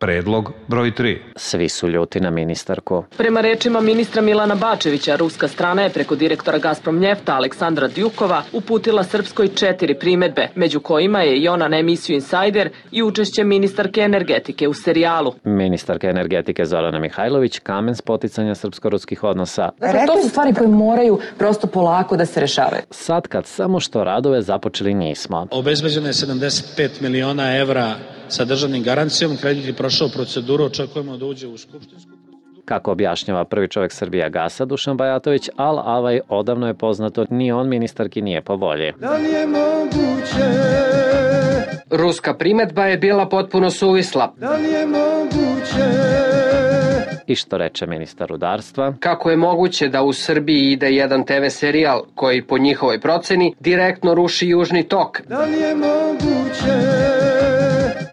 Predlog broj 3. Svi su ljuti na ministarku. Prema rečima ministra Milana Bačevića, ruska strana je preko direktora Gazprom Njefta Aleksandra Djukova uputila Srpskoj 4 primedbe, među kojima je i ona na emisiju Insider i učešće ministarke energetike u serijalu. Ministarka energetike Zorana Mihajlović, kamen spoticanja srpsko-ruskih odnosa. Dakle, to su stvari koje moraju prosto polako da se rešavaju. Sad kad samo što radove započeli nismo. Obezbeđeno je 75 miliona evra sa državnim garancijom, kredit je prošao proceduru, očekujemo da uđe u skupštinsku proceduru. Kako objašnjava prvi čovjek Srbijagasa Dušan Bajatović, Al-Avaj odavno je poznato, ni on ministarki nije po volji. Da li je moguće? Ruska primedba je bila potpuno suvisla. Da li je moguće? I što reče ministar rudarstva? Kako je moguće da u Srbiji ide jedan TV serijal koji po njihovoj proceni direktno ruši Južni tok? Da li je moguće?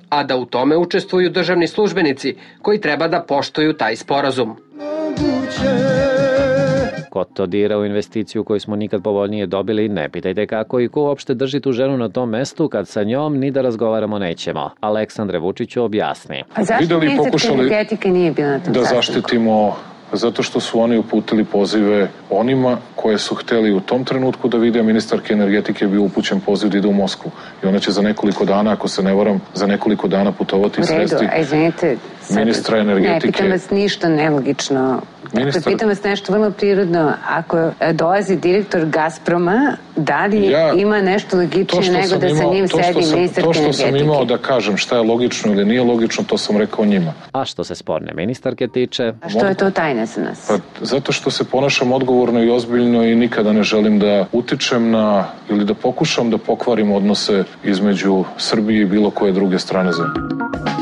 A da u tome učestvuju državni službenici koji treba da poštuju taj sporazum. Ko to dira u investiciju koju smo nikad povoljnije dobili, ne pitajte kako i ko uopšte drži tu ženu na tom mestu kad sa njom ni da razgovaramo nećemo. Aleksandre Vučiću objasni. A zašto ministarka energetike nije bila na tom da zaštitimo, zato što su oni uputili pozive onima koje su hteli u tom trenutku da vide, a ministarke energetike je bio upućen poziv da ide u Moskvu. I ona će za nekoliko dana, ako se ne varam, za nekoliko dana putovati i sresti ministra energetike. Ne, pitam vas ništa nelogično. Dakle, pitam vas nešto vrlo prirodno. Ako dolazi direktor Gazproma, da li ima nešto logičnije nego da sa njim sedi ministarka energetike? To što sam imao da kažem šta je logično ili nije logično, to sam rekao njima. A što se sporne ministarke tiče? A što je to tajna za nas? Pa, zato što se ponašam odgovorno i ozbiljno i nikada ne želim da utičem na ili da pokušam da pokvarim odnose između Srbije i bilo koje druge strane zemlje.